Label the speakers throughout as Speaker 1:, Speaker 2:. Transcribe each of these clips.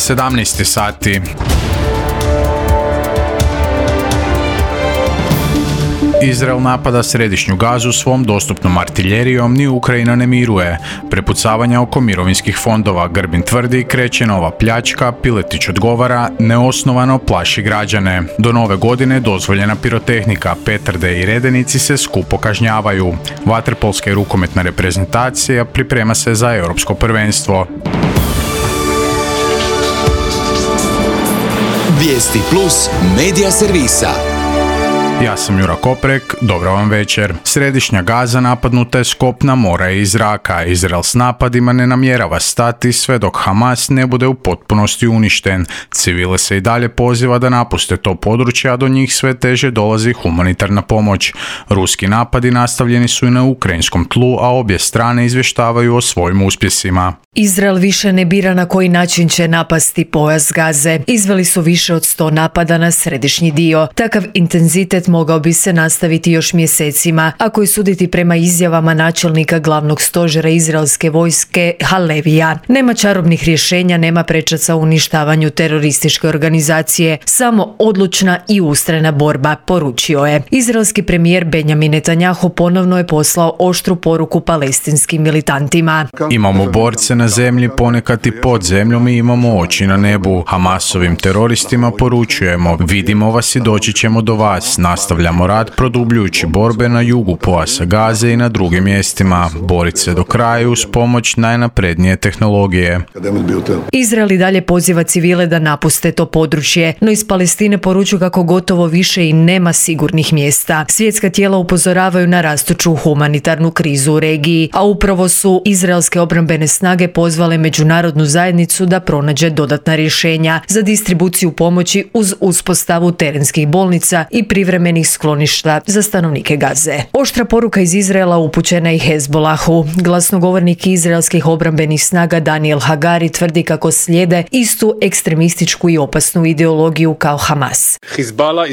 Speaker 1: 17 sati. Izrael napada središnju Gazu svom dostupnom artiljerijom, ni Ukrajina ne miruje. Prepucavanja oko mirovinskih fondova. Grbin tvrdi, kreće nova pljačka, Piletić odgovara, neosnovano plaši građane. Do nove godine dozvoljena pirotehnika, petarde i redenici se skupo kažnjavaju. Vaterpolska i rukometna reprezentacija priprema se za europsko prvenstvo.
Speaker 2: Vijesti plus medija servisa.
Speaker 1: Ja sam Jura Koprek, dobro vam večer. Središnja Gaza napadnuta je s kopna, mora i iz zraka. Izrael s napadima ne namjerava stati sve dok Hamas ne bude u potpunosti uništen. Civile se i dalje poziva da napuste to područje, a do njih sve teže dolazi humanitarna pomoć. Ruski napadi nastavljeni su i na ukrajinskom tlu, a obje strane izvještavaju o svojim uspjesima.
Speaker 3: Izrael više ne bira na koji način će napasti pojas Gaze. Izveli su više od 100 napada na središnji dio. Takav intenzitet mogao bi se nastaviti još mjesecima, ako je suditi prema izjavama načelnika glavnog stožera izraelske vojske Halevija. Nema čarobnih rješenja, nema prečaca u uništavanju terorističke organizacije, samo odlučna i ustrajna borba, poručio je. Izraelski premijer Benjamin Netanjahu ponovno je poslao oštru poruku palestinskim militantima.
Speaker 1: Imamo borce na zemlji, ponekad i pod zemljom i imamo oči na nebu. Hamasovim teroristima poručujemo, vidimo vas i doći ćemo do vas. Nastavljamo rad produbljujući borbe na jugu pojasa Gaze i na drugim mjestima. Boriti se do kraja uz pomoć najnaprednije tehnologije.
Speaker 3: Izrael i dalje poziva civile da napuste to područje, no iz Palestine poručuju kako gotovo više i nema sigurnih mjesta. Svjetska tijela upozoravaju na rastuću humanitarnu krizu u regiji, a upravo su izraelske obrambene snage pozvale međunarodnu zajednicu da pronađe dodatna rješenja za distribuciju pomoći uz uspostavu terenskih bolnica i privremenih skloništa za stanovnike Gaze. Oštra poruka iz Izraela upućena i Hezbolahu. Glasnogovornik izraelskih obrambenih snaga Daniel Hagari tvrdi kako slijede istu ekstremističku i opasnu ideologiju kao Hamas.
Speaker 4: Hezbollah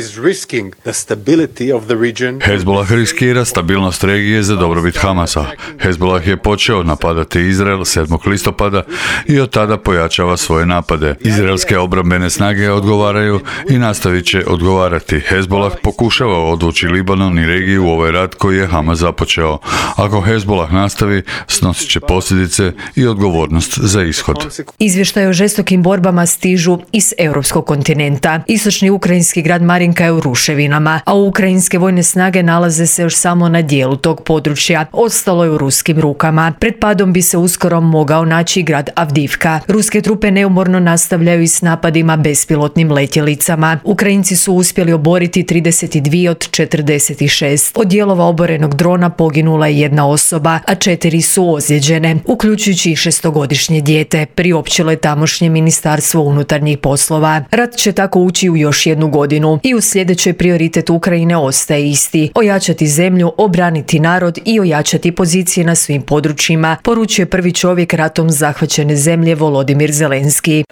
Speaker 4: riskira stabilnost regije za dobrobit Hamasa. Hezbollah je počeo napadati Izrael 7. listopada i od tada pojačava svoje napade. Izraelske obrambene snage odgovaraju i nastavit će odgovarati. Hezbollah pokušava odvući Libanon i regiju u ovaj rat koji je Hamas započeo. Ako Hezbollah nastavi, snosit će posljedice i odgovornost za ishod.
Speaker 3: Izvještaj o žestokim borbama stižu iz europskog kontinenta. Istočni ukrajinski grad Marinka je u ruševinama, a ukrajinske vojne snage nalaze se još samo na dijelu tog područja. Ostalo je u ruskim rukama. Pred padom bi se uskoro mogao naći grad Avdivka. Ruske trupe neumorno nastavljaju i s napadima bespilotnim letjelicama. Ukrajinci su uspjeli oboriti 32 od 46. Od dijelova oborenog drona poginula je jedna osoba, a 4 su ozlijeđene, uključujući i 6-godišnje dijete, priopćilo je tamošnje ministarstvo unutarnjih poslova. Rat će tako ući u još jednu godinu i u sljedećoj prioritet Ukrajine ostaje isti: ojačati zemlju, obraniti narod i ojačati pozicije na svim područjima, poručuje prvi čovjek ratom zahvaćene zemlje Volodimir Zelenski.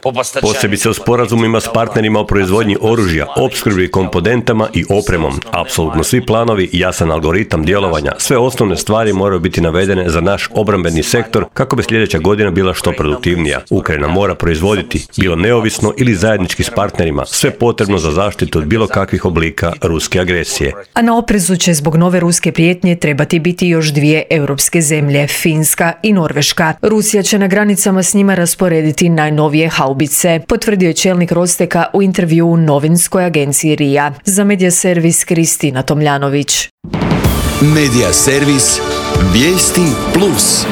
Speaker 5: Posebice u sporazumima s partnerima o proizvodnji oružja, opskrbi komponentama i opremom. Apsolutno svi planovi, jasan algoritam djelovanja, sve osnovne stvari moraju biti navedene za naš obrambeni sektor kako bi sljedeća godina bila što produktivnija. Ukrajina mora proizvoditi, bilo neovisno ili zajednički s partnerima, sve potrebno za zaštitu od bilo kakvih oblika ruske agresije.
Speaker 3: A na oprezu će zbog nove ruske prijetnje trebati biti još 2 europske zemlje, Finska i Norveška. Rusija će na granicama s njima rasporediti najnovije haubice, potvrdio je čelnik Rosteka u intervjuu u novinskoj agenciji RIA. Za medija servis Kristina Tomljanović.
Speaker 2: Medija servis Vijesti plus.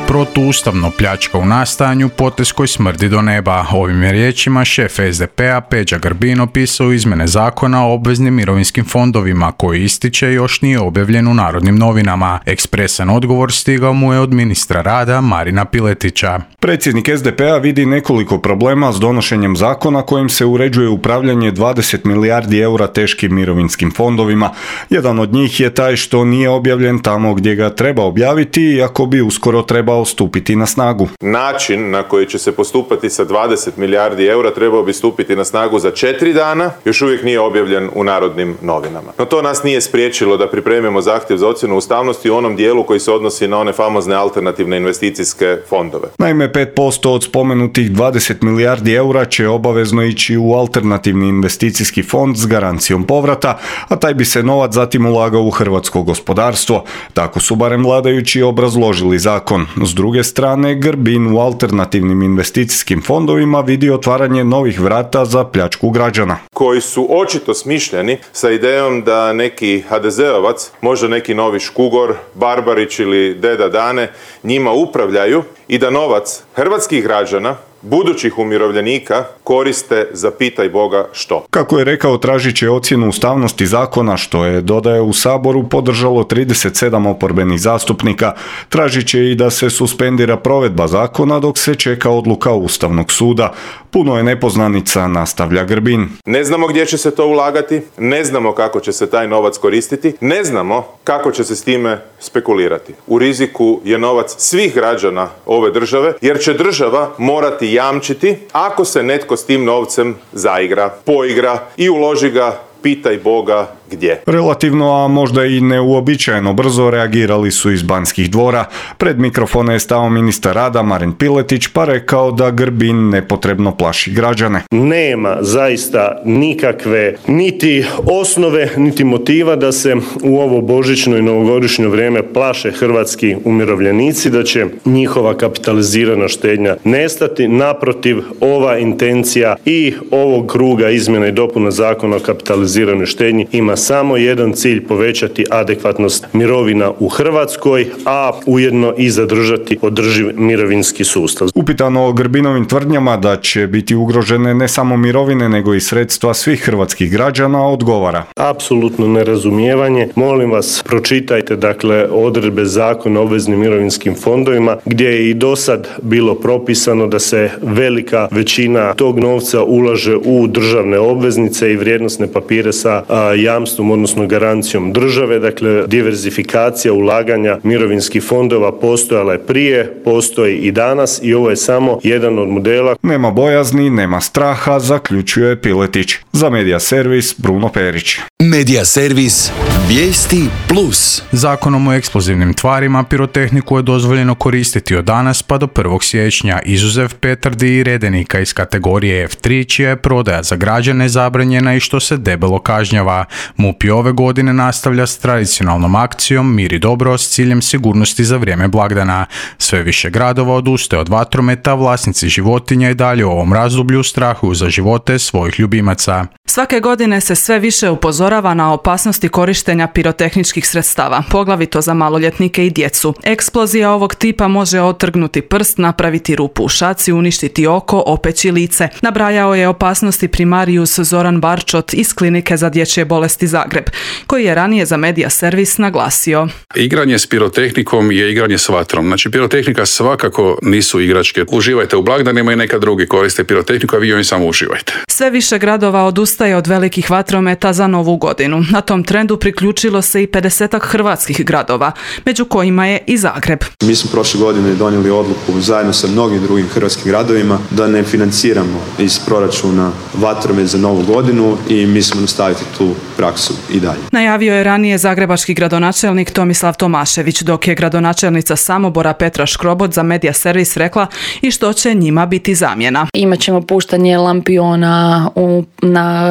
Speaker 1: Protuustavno pljačka u nastajanju, potez koji smrdi do neba. Ovim je riječima šef SDP-a Peđa Grbin opisao izmjene zakona o obveznim mirovinskim fondovima koji ističe još nije objavljen u Narodnim novinama. Ekspresan odgovor stigao mu je od ministra rada Marina Piletića.
Speaker 6: Predsjednik SDP-a vidi nekoliko problema s donošenjem zakona kojim se uređuje upravljanje 20 milijardi eura teškim mirovinskim fondovima. Jedan od njih je taj što nije objavljen tamo gdje ga treba objaviti, iako bi uskoro trebao trebao stupiti na snagu.
Speaker 7: Način na koji će se postupati sa 20 milijardi eura trebao bi stupiti na snagu za 4 dana, još uvijek nije objavljen u Narodnim novinama. No to nas nije spriječilo da pripremimo zahtjev za ocjenu ustavnosti u onom dijelu koji se odnosi na one famozne alternativne investicijske fondove.
Speaker 6: Naime, 5% od spomenutih 20 milijardi eura će obavezno ići u alternativni investicijski fond s garancijom povrata, a taj bi se novac zatim ulagao u hrvatsko gospodarstvo. Tako su barem vladajući obrazložili zakon. S druge strane, Grbin u alternativnim investicijskim fondovima vidi otvaranje novih vrata za pljačku građana.
Speaker 7: Koji su očito smišljeni sa idejom da neki HDZ-ovac, možda neki novi Škugor, Barbarić ili Deda Dane, njima upravljaju i da novac hrvatskih građana, budućih umirovljenika, koriste za pitaj Boga što.
Speaker 6: Kako je rekao, tražit će ocjenu ustavnosti zakona, što je, dodaje, u Saboru podržalo 37 oporbenih zastupnika. Tražit će i da se suspendira provedba zakona dok se čeka odluka Ustavnog suda. Puno je nepoznanica, nastavlja Grbin.
Speaker 7: Ne znamo gdje će se to ulagati, ne znamo kako će se taj novac koristiti, ne znamo kako će se s time spekulirati. U riziku je novac svih građana ove države, jer će država morati jamčiti ako se netko s tim novcem zaigra, poigra i uloži ga, pitaj Boga gdje.
Speaker 6: Relativno, a možda i neuobičajeno brzo reagirali su iz Banskih dvora. Pred mikrofone je stao ministar rada Marin Piletić pa rekao da Grbin nepotrebno plaši građane.
Speaker 8: Nema zaista nikakve niti osnove, niti motiva da se u ovo božićno i novogodišnje vrijeme plaše hrvatski umirovljenici, da će njihova kapitalizirana štednja nestati. Naprotiv, ova intencija i ovog kruga izmjena i dopuna zakona o kapitaliziranoj štednji ima samo jedan cilj: povećati adekvatnost mirovina u Hrvatskoj, a ujedno i zadržati održiv mirovinski sustav.
Speaker 6: Upitano o Grbinovim tvrdnjama da će biti ugrožene ne samo mirovine nego i sredstva svih hrvatskih građana, odgovara:
Speaker 8: apsolutno nerazumijevanje. Molim vas, pročitajte odredbe Zakona o obveznim mirovinskim fondovima gdje je i do sad bilo propisano da se velika većina tog novca ulaže u državne obveznice i vrijednosne papire sa jamstvom, odnosno garancijom države. Diverzifikacija ulaganja mirovinskih fondova postojala je prije, postoji i danas i ovo je samo jedan od modela.
Speaker 6: Nema bojazni, nema straha, zaključuje Piletić. Za Medija servis Bruno Perić.
Speaker 2: Medija servis Vijesti Plus.
Speaker 1: Zakonom o eksplozivnim tvarima pirotehniku je dozvoljeno koristiti od danas pa do 1. siječnja, izuzev petardi i redenika iz kategorije F3, čija je prodaja za građane zabranjena i što se debelo kažnjava. MUP i ove godine nastavlja s tradicionalnom akcijom Mir i dobro s ciljem sigurnosti za vrijeme blagdana. Sve više gradova odustaje od vatrometa, vlasnici životinja i dalje u ovom razdoblju strahuju za živote svojih ljubimaca.
Speaker 9: Svake godine se sve više upozorava na opasnosti korištenja pirotehničkih sredstava, poglavito za maloljetnike i djecu. Eksplozija ovog tipa može otrgnuti prst, napraviti rupu u šaci, uništiti oko, opeći lice. Nabrajao je opasnosti primarijus Zoran Barčot iz Klinike za dječje bolesti Zagreb, koji je ranije za Medija servis naglasio:
Speaker 10: igranje s pirotehnikom je igranje s vatrom. Znači, pirotehnika svakako nisu igračke. Uživajte u blagdanima i neka drugi koriste pirotehniku, a vi joj samo uživajte.
Speaker 9: Sve više gradova odustaje od velikih vatrometa za Novu godinu. Na tom trendu priključilo se i 50-ak hrvatskih gradova, među kojima je i Zagreb.
Speaker 11: Mi smo prošle godine donijeli odluku zajedno sa mnogim drugim hrvatskim gradovima da ne financiramo iz proračuna vatromet za Novu godinu i mi smo nastaviti tu praksu i dalje.
Speaker 9: Najavio je ranije zagrebački gradonačelnik Tomislav Tomašević, dok je gradonačelnica Samobora Petra Škrobot za Medija servis rekla i što će njima biti zamjena.
Speaker 12: Imaćemo puštanje lampiona na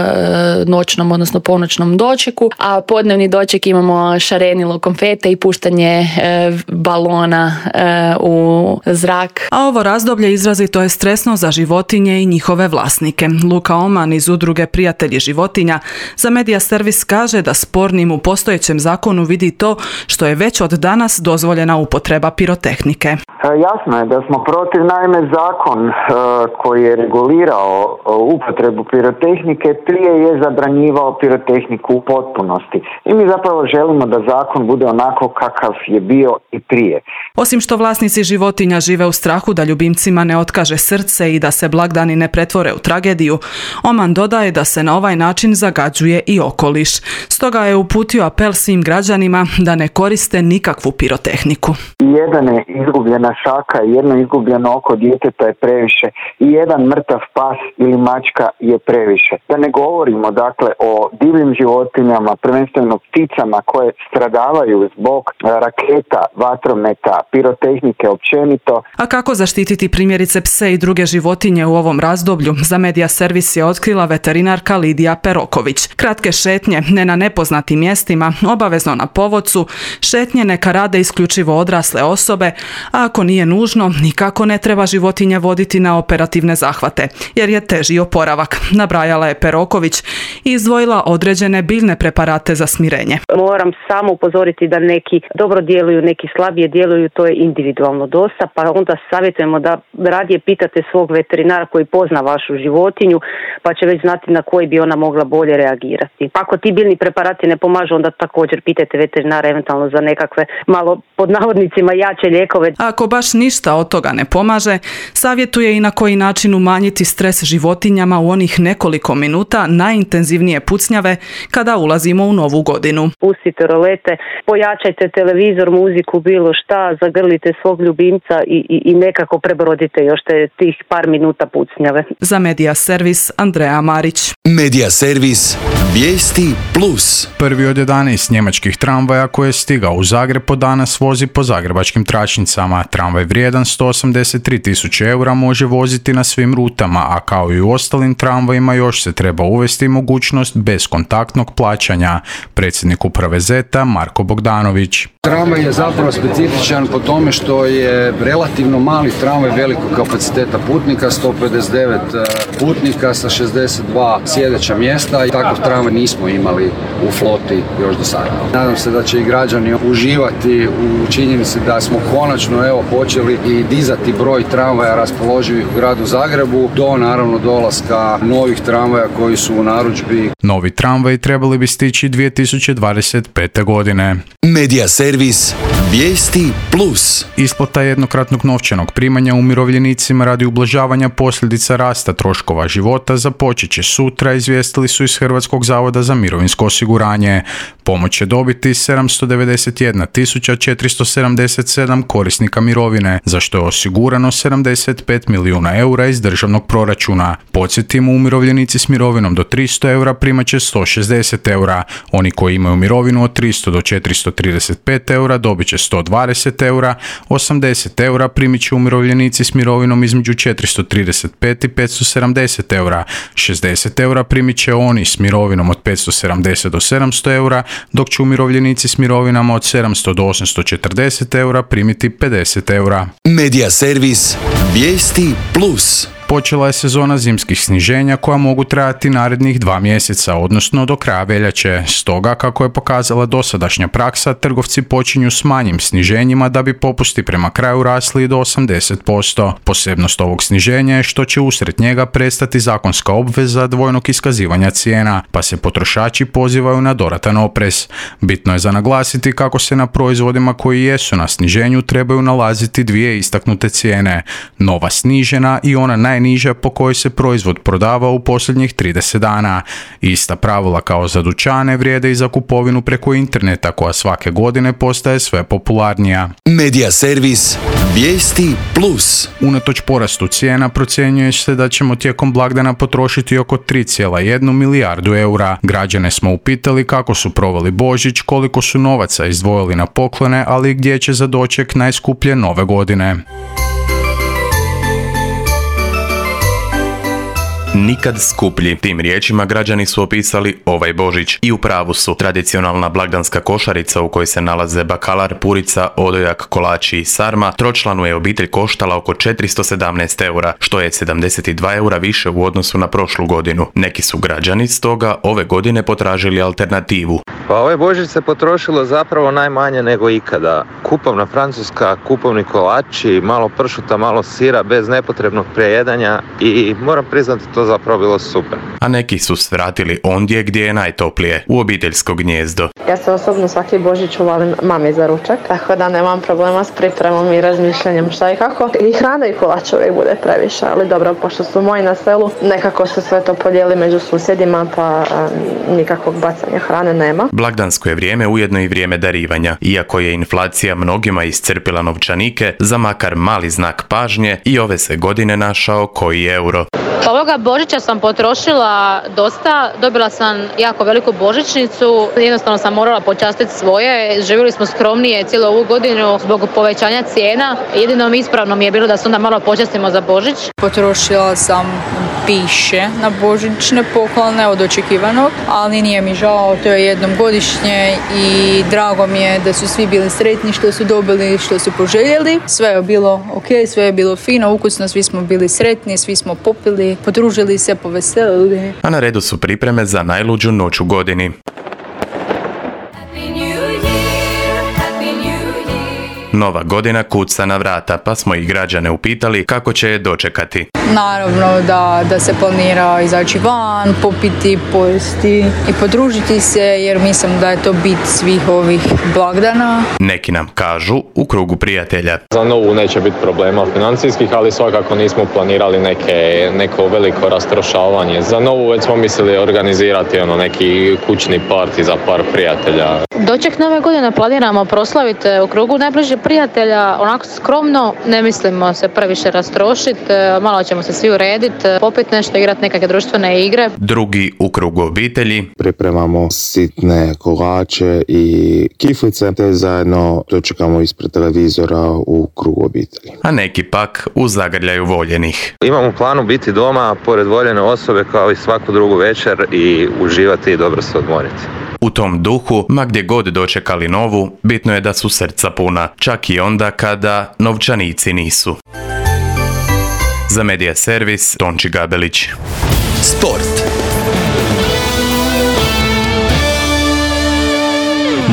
Speaker 12: noćnom, odnosno ponoćnom dočeku, a podnevni doček imamo šarenilo konfete i puštanje balona u zrak.
Speaker 9: A ovo razdoblje izrazito je stresno za životinje i njihove vlasnike. Luka Oman iz udruge Prijatelji životinja za Medija servis kaže da spornim u postojećem zakonu vidi to što je već od danas dozvoljena upotreba pirotehnike.
Speaker 13: Jasno je da smo protiv, naime zakon koji je regulirao upotrebu pirotehnike prije je zabranjivao pirotehniku u potpunosti. I mi zapravo želimo da zakon bude onako kakav je bio i prije.
Speaker 9: Osim što vlasnici životinja žive u strahu da ljubimcima ne otkaže srce i da se blagdani ne pretvore u tragediju, Oman dodaje da se na ovaj način zagađuje i okoliš. okoliš. Stoga je uputio apel svim građanima da ne koriste nikakvu pirotehniku.
Speaker 13: Jedna izgubljena šaka, jedno izgubljeno oko djeteta je previše i jedan mrtav pas ili mačka je previše. Da ne govorimo dakle o divljim životinjama, prvenstveno pticama koje stradavaju zbog raketa, vatrometa, pirotehnike općenito.
Speaker 9: A kako zaštititi primjerice pse i druge životinje u ovom razdoblju? Za Medija servis je otkrila veterinarka Lidija Peroković. Kratke šetnje, ne na nepoznatim mjestima, obavezno na povodcu, šetnje neka rade isključivo odrasle osobe, a ako nije nužno, nikako ne treba životinje voditi na operativne zahvate, jer je teži oporavak, nabrajala je Peroković i izdvojila određene biljne preparate za smirenje.
Speaker 14: Moram samo upozoriti da neki dobro djeluju, neki slabije djeluju, to je individualno dosta, pa onda savjetujemo da radije pitate svog veterinara koji pozna vašu životinju, pa će već znati na koji bi ona mogla bolje reagirati. Ako ti biljni preparati ne pomažu, onda također pitajte veterinara eventualno za nekakve malo pod navodnicima jače lijekove.
Speaker 9: Ako baš ništa od toga ne pomaže, savjetuje i na koji način umanjiti stres životinjama u onih nekoliko minuta najintenzivnije pucnjave kada ulazimo u novu godinu.
Speaker 14: Pustite rolete, pojačajte televizor, muziku, bilo šta, zagrlite svog ljubimca i nekako prebrodite još tih par minuta pucnjave.
Speaker 9: Za Medija servis Andreja Marić.
Speaker 2: Medija servis Vijesti Plus.
Speaker 1: Prvi od 11 njemačkih tramvaja koje je stigao u Zagreb po danas vozi po zagrebačkim tračnicama. Tramvaj vrijedan 183.000 eura može voziti na svim rutama, a kao i u ostalim tramvajima još se treba uvesti mogućnost bezkontaktnog plaćanja. Predsjednik uprave ZET-a Marko Bogdanović.
Speaker 15: Tramvaj je zapravo specifičan po tome što je relativno mali tramvaj velikog kapaciteta putnika, 159 putnika sa 62 sjedeća mjesta i takav tramvaj nismo imali u floti još do sada. Nadam se da će i građani uživati u činjenici da smo konačno počeli i dizati broj tramvaja raspoloživih u gradu Zagrebu do naravno dolaska novih tramvaja koji su u narudžbi.
Speaker 1: Novi tramvaji trebali bi stići 2025. godine.
Speaker 2: Medija servis Vijesti Plus.
Speaker 1: Isplata jednokratnog novčanog primanja umirovljenicima radi ublažavanja posljedica rasta troškova života započet će sutra, izvijestili su iz Hrvatskog zavoda za mirovinsko osiguranje. Pomoć će dobiti 791.477 korisnika mirovine, za što je osigurano 75 milijuna eura iz državnog proračuna. Podsjetimo, umirovljenici s mirovinom do 300 eura primat će 160 eura. Oni koji imaju mirovinu od 300 do 435 eura dobit će 120 eura, 80 eura primit će umirovljenici s mirovinom između 435 i 570 eura, 60 eura primit će oni s mirovinom od 570 do 700 eura, dok će umirovljenici s mirovinama od 700 do 840 eura primiti 50 eura.
Speaker 2: Medija servis Vijesti Plus.
Speaker 1: Počela je sezona zimskih sniženja koja mogu trajati narednih 2 mjeseca, odnosno do kraja veljače. Stoga, kako je pokazala dosadašnja praksa, trgovci počinju s manjim sniženjima da bi popusti prema kraju rasli do 80%. Posebnost ovog sniženja je što će usred njega prestati zakonska obveza dvojnog iskazivanja cijena, pa se potrošači pozivaju na dodatan oprez. Bitno je za naglasiti kako se na proizvodima koji jesu na sniženju trebaju nalaziti dvije istaknute cijene. Nova snižena i ona najniža po kojoj se proizvod prodava u posljednjih 30 dana. Ista pravila kao za dućane vrijede i za kupovinu preko interneta koja svake godine postaje sve popularnija.
Speaker 2: Medija servis Vijesti Plus.
Speaker 1: Unatoč porastu cijena procjenjuje se da ćemo tijekom blagdana potrošiti oko 3,1 milijardu eura. Građane smo upitali kako su proveli Božić, koliko su novaca izdvojili na poklone, ali gdje će za doček najskuplje nove godine.
Speaker 16: Nikad skuplji. Tim riječima građani su opisali ovaj Božić. I u pravu su. Tradicionalna blagdanska košarica u kojoj se nalaze bakalar, purica, odojak, kolači i sarma tročlanu je obitelj koštala oko 417 eura, što je 72 eura više u odnosu na prošlu godinu. Neki su građani stoga ove godine potražili alternativu.
Speaker 17: Pa ovaj Božić se potrošilo zapravo najmanje nego ikada. Kupovna francuska, kupovni kolači, malo pršuta, malo sira bez nepotrebnog prejedanja i moram priznati to zapravo bilo super.
Speaker 16: A neki su svratili ondje gdje je najtoplije, u obiteljsko gnijezdo.
Speaker 18: Ja se osobno svaki Božić uvalim mami za ručak, tako da nemam problema s pripremom i razmišljanjem šta i kako. I hrana i kolač uvijek bude previše, ali dobro, pošto su moji na selu, nekako se sve to podijeli među susjedima, pa nikakvog bacanja hrane nema.
Speaker 16: Blagdansko je vrijeme ujedno i vrijeme darivanja. Iako je inflacija mnogima iscrpila novčanike, za makar mali znak pažnje i ove se godine našao koji euro.
Speaker 19: Ovoga Božića sam potrošila dosta, dobila sam jako veliku božićnicu, jednostavno sam morala počastiti svoje, živjeli smo skromnije cijelu ovu godinu zbog povećanja cijena, jedino ispravno mi je bilo da se onda malo počastimo za Božić.
Speaker 20: Potrošila sam više na božićne poklone od očekivanog, ali nije mi žao, to je jednom godišnje i drago mi je da su svi bili sretni što su dobili, što su poželjeli. Sve je bilo ok, sve je bilo fino, ukusno, svi smo bili sretni, svi smo popili, podružili se, poveselili.
Speaker 16: A na redu su pripreme za najluđu noć u godini. Nova godina kuca na vrata, pa smo i građane upitali kako će je dočekati.
Speaker 20: Naravno da se planira izaći van, popiti, pojesti i podružiti se, jer mislim da je to bit svih ovih blagdana.
Speaker 16: Neki nam kažu u krugu prijatelja.
Speaker 21: Za novu neće biti problema financijskih, ali svakako nismo planirali neko veliko rastrošavanje. Za novu već smo mislili organizirati neki kućni parti za par prijatelja.
Speaker 19: Doček nove godine planiramo proslaviti u krugu najbližih prijatelja, onako skromno, ne mislimo se previše rastrošiti, malo ćemo se svi urediti, popiti nešto, igrati nekakve društvene igre.
Speaker 16: Drugi u krugu obitelji.
Speaker 22: Pripremamo sitne kolače i kiflice, te zajedno dočekamo ispred televizora u krugu obitelji.
Speaker 16: A neki pak u zagrljaju voljenih.
Speaker 17: Imam u planu biti doma pored voljene osobe kao i svaku drugu večer i uživati i dobro se odmoriti.
Speaker 16: U tom duhu, ma gdje god dočekali novu, bitno je da su srca puna, čak i onda kada novčanici nisu. Za Medija servis, Tonči Gabelić.
Speaker 2: Sport.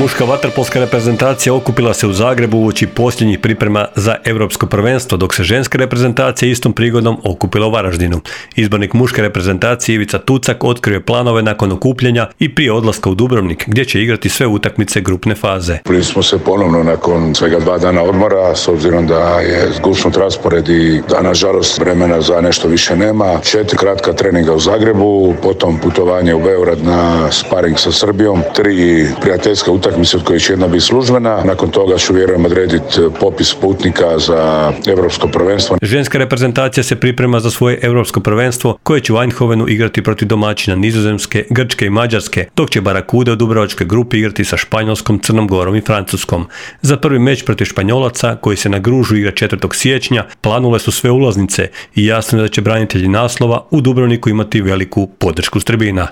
Speaker 5: Muška vaterpolska reprezentacija okupila se u Zagrebu uoči posljednjih priprema za Europsko prvenstvo, dok se ženska reprezentacija istom prigodom okupila u Varaždinu. Izbornik muške reprezentacije Ivica Tucak otkrio je planove nakon okupljenja i prije odlaska u Dubrovnik, gdje će igrati sve utakmice grupne faze.
Speaker 23: Prvi smo se ponovno nakon svega 2 dana odmora, s obzirom da je zgusnut raspored i da nažalost vremena za nešto više nema. 4 kratka treninga u Zagrebu, potom putovanje u Beograd na sparing sa Srbijom, 3 prijateljska utakmice od kojih će jedna biti službena. Nakon toga ću vjerujem odrediti popis putnika za Europsko prvenstvo.
Speaker 5: Ženska reprezentacija se priprema za svoje Europsko prvenstvo koje će u Eindhovenu igrati protiv domaćina Nizozemske, Grčke i Mađarske, dok će Barakude u dubrovačkoj grupi igrati sa Španjolskom, Crnom Gorom i Francuskom. Za prvi meč protiv Španjolaca, koji se na Gružu igra 4. siječnja, planule su sve ulaznice i jasno je da će branitelji naslova u Dubrovniku imati veliku podršku s tribina.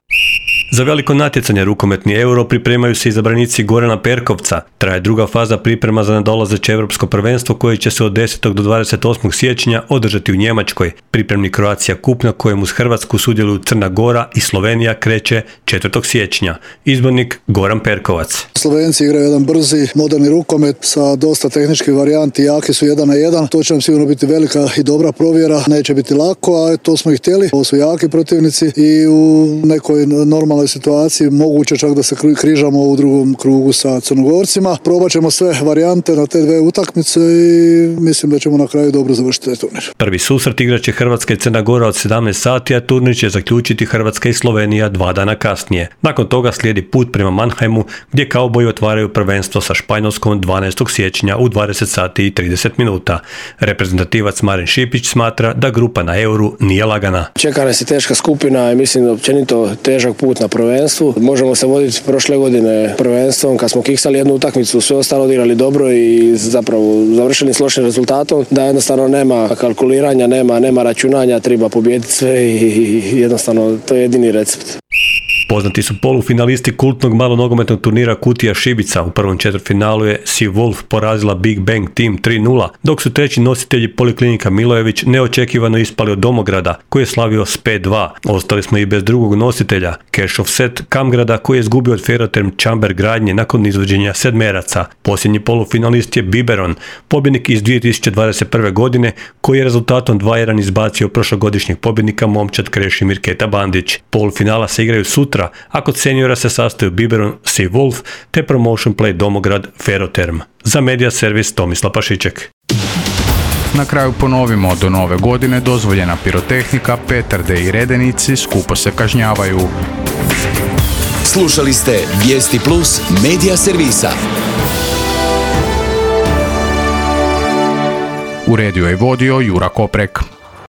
Speaker 5: Za veliko natjecanje rukometni Euro pripremaju se izabranici Gorana Perkovca. Traje druga faza priprema za nadolazeće Europsko prvenstvo koje će se od 10. do 28. siječnja održati u Njemačkoj. Pripremni Croatia Cup na kojem uz Hrvatsku sudjeluju Crna Gora i Slovenija kreće 4. siječnja. Izbornik Goran Perkovac.
Speaker 24: Slovenci igraju jedan brzi, moderni rukomet sa dosta tehničkih varijanti, jaki su 1 na 1. To će nam sigurno biti velika i dobra provjera, neće biti lako, a to smo i htjeli. Ovo su jaki protivnici i u nekoj normalnoj situaciji moguće čak da se križamo u drugom krugu sa Crnogorcima. Probat ćemo sve varijante na te 2 utakmice i mislim da ćemo na kraju dobro završiti taj turnir.
Speaker 5: Prvi susret igraće Hrvatska i Crna Gora od 17 sati, a turnir će zaključiti Hrvatska i Slovenija 2 dana kasnije. Nakon toga slijedi put prema Mannheimu, gdje kauboji otvaraju prvenstvo sa Španjolskom 12. siječnja u 20 sati i 30 minuta. Reprezentativac Marin Šipić smatra da grupa na Euru nije lagana.
Speaker 25: Čeka nas i teška skupina i mislim da općenito težak put na prvenstvu. Možemo se voditi prošle godine prvenstvom kad smo kiksali jednu utakmicu, sve ostalo odigrali dobro i zapravo završili s lošim rezultatom, da jednostavno nema kalkuliranja, nema računanja, treba pobijediti sve i jednostavno to je jedini recept.
Speaker 5: Poznati su polufinalisti kultnog malonogometnog turnira Kutija Šibica. U prvom četvrtfinalu je Sea Wolf porazila Big Bang Team 3:0, dok su treći nositelji Poliklinika Milojević neočekivano ispali od Domograda, koji je slavio s 5:2. Ostali smo i bez drugog nositelja, Cash of Set Kamgrada, koji je izgubio od Ferroterm Čamber Gradnje nakon izvođenja sedmeraca. Posljednji polufinalist je Biberon, pobjednik iz 2021. godine, koji je rezultatom 2:1 izbacio prošlogodišnjeg pobjednika momčad Krešimir Keta Bandić. Polufinala se igraju sutra, a kod seniora se sastaju Biberon, Sea Wolf te Promotion Play Domograd Ferroterm. Za Media Servis Tomislav Pašiček.
Speaker 1: Na kraju ponovimo, do nove godine dozvoljena pirotehnika, petarde i redenici skupo se kažnjavaju.
Speaker 2: Slušali ste Vijesti Plus Media Servisa.
Speaker 1: Uredio je vodio Jura Koprek.